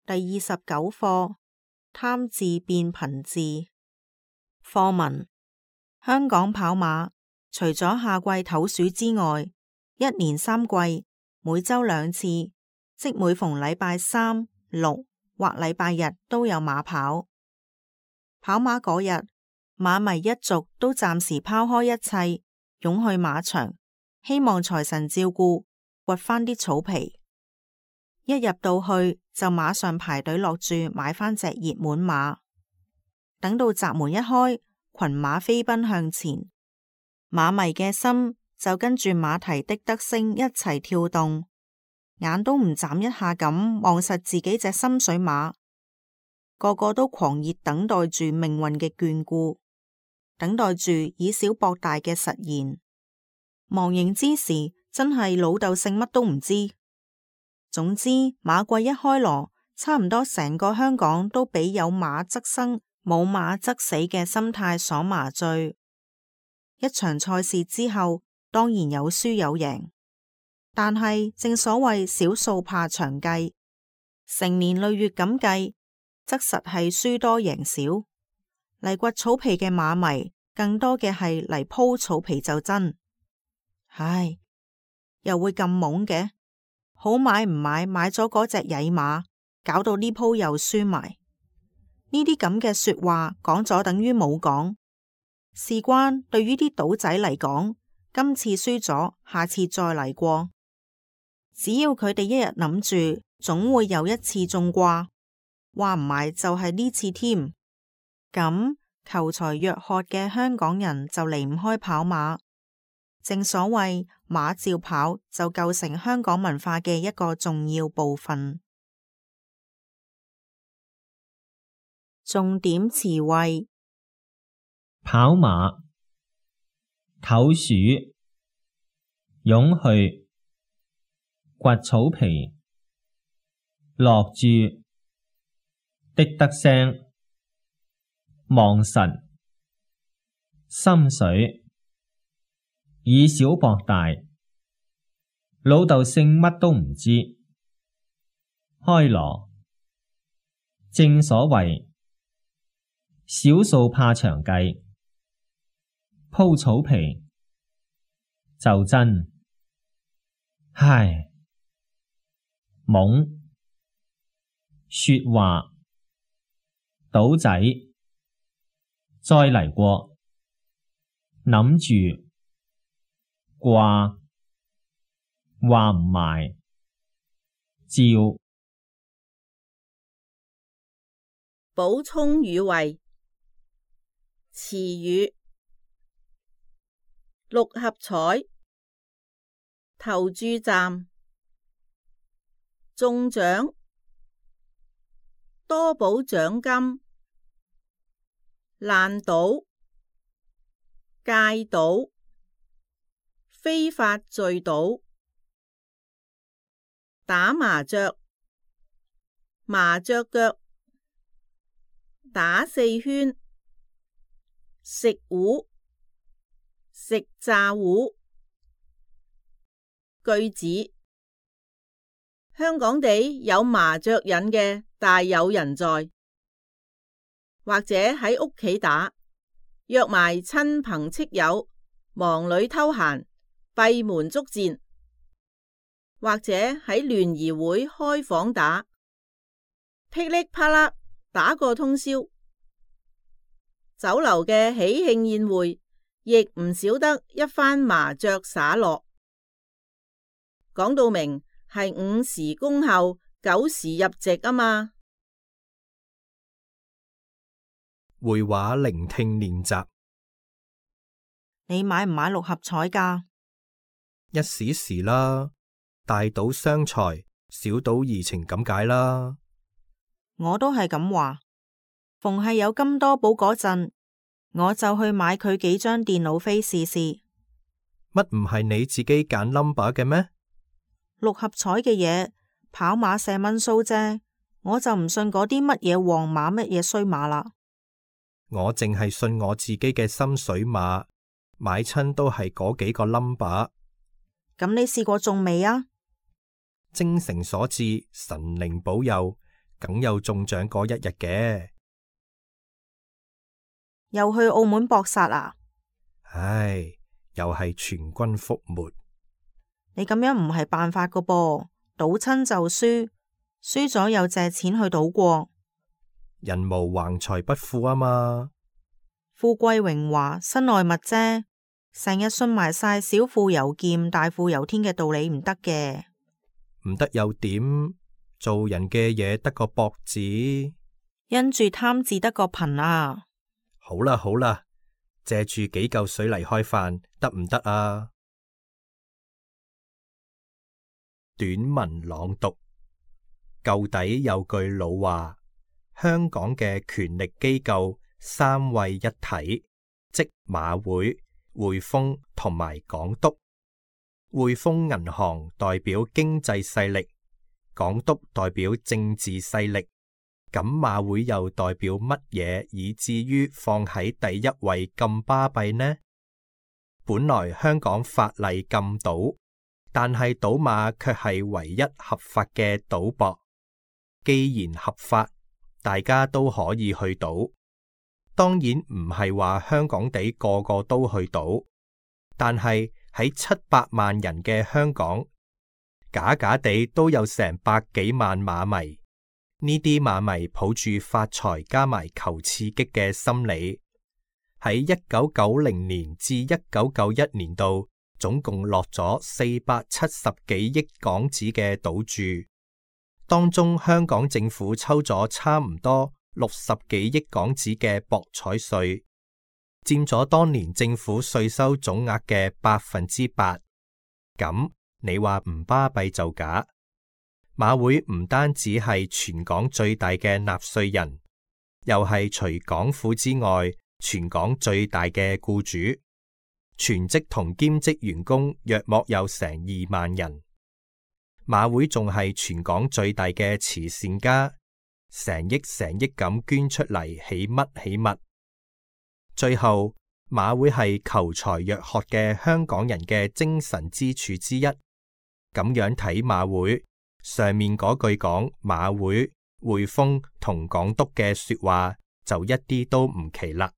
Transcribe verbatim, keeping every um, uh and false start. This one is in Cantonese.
第二十九課，貪字變貧字。課文：香港跑馬除咗夏季唞暑之外，一年三季每周兩次，即每逢禮拜三、六或禮拜日都有馬跑。跑馬嗰日，馬迷一族都暫時拋開一切，湧去馬場，希望財神照顧，掘返啲草皮。一入到去就馬上排隊落注買返隻熱門馬。等到閘門一開，群馬飛奔向前，馬迷嘅心就跟住馬蹄的得聲一齊跳動，眼都唔眨一下咁望實自己隻心水馬，個個都狂熱等待住命運嘅眷顧，等待住以小博大嘅實現。忘形之時，真係老豆姓乜都唔知。總之，馬季一開鑼，差唔多成個香港都俾有馬則生，冇馬則死嘅心態所麻醉。一場賽事之後，當然有輸有贏，但係正所謂小數怕長計，成年累月咁計，則實係輸多贏少。嚟掘草皮嘅馬迷，更多嘅係嚟鋪草皮就真。唉，又會咁懵嘅？好買唔買，買咗嗰隻曳馬，搞到呢鋪又輸埋。呢啲咁嘅說話講咗等於冇講。事關對於啲賭仔嚟講，今次輸咗，下次再嚟過。只要佢哋一日諗住，總會有一次中掛，話唔埋就係呢次添。咁求財若渴嘅香港人就離唔開跑馬。正所謂馬照跑，就構成香港文化嘅一個重要部分。重點詞彙：跑馬、唞暑、湧去、掘草皮、落注、的得聲、望實、心水、以小博大，老豆姓乜都唔知。開鑼，正所謂小數怕長計，鋪草皮就真。唉，懵，說話，賭仔，再嚟過，諗住，掛，話唔埋，照。補充語彙：詞語，六合彩、投注站、中獎、多寶獎金、爛賭、戒賭、非法聚賭、打麻雀、麻雀腳、打四圈、食糊、食炸糊。句子：香港地有麻雀癮嘅大有人在，或者喺屋企打，約埋親朋戚友，忙裏偷閒，閉門作戰，或者喺聯誼會開房打，噼里啪啦打個通宵。酒樓嘅喜慶宴會，亦唔少得一番麻雀灑落。講到明係午時恭候，九時入席啊嘛。會話聆聽練習。你買唔買六合彩㗎？一時時啦，大賭傷財，小賭怡情咁解啦。我都係咁話。逢係有金多寶嗰陣，我就去買佢幾張電腦飛試試。乜唔係你自己揀 number 嘅咩？六合彩嘅嘢，跑馬射蚊鬚啫，我就唔信嗰啲乜嘢黃馬乜嘢衰馬啦。我淨係信我自己嘅心水馬，買親都係嗰幾個 number。咁你試過中未啊？精誠所至，神靈保佑，梗有中獎嗰一日嘅。又去澳門搏殺啊？唉，又係全軍覆沒。你咁樣唔係辦法噶噃，賭親就輸，輸咗又借錢去賭過。人無橫財不富啊嘛。富貴榮華身外物啫，成日信埋晒小富由儉大富由天嘅道理唔得嘅。唔得又點？做人嘅嘢得個博字，因住貪字得個貧啊。好啦好啦，借住幾嚿水嚟開飯得唔得啊？短文朗讀，舊底有句老話，香港嘅權力機構三位一體，即馬會、匯豐同埋港督。匯豐銀行代表經濟勢力，港督代表政治勢力。咁馬會又代表乜嘢，以至於放喺第一位咁巴閉呢？本來香港法例禁賭，但係賭馬卻係唯一合法嘅賭博。既然合法，大家都可以去賭。當然唔係話香港地個個都去賭，但係喺七百萬人嘅香港，假假地都有成百幾萬馬迷。呢啲馬迷抱住發財加埋求刺激嘅心理，喺一九九零年至一九九一年度，總共落咗四百七十幾億港紙嘅賭注，當中香港政府抽咗差唔多六十幾億港紙嘅博彩稅，佔咗當年政府稅收總額嘅百分之八。咁你話唔巴閉就假。馬會唔單止係全港最大嘅納稅人，又係除港府之外全港最大嘅僱主，全職同兼職員工約莫有成二萬人。馬會仲係全港最大嘅慈善家，成億成億咁捐出嚟起乜起物。最後，馬會係求才若渴嘅香港人嘅精神支柱之一。咁樣睇馬會，上面嗰句講馬會、匯豐同港督嘅說話就一啲都唔奇啦。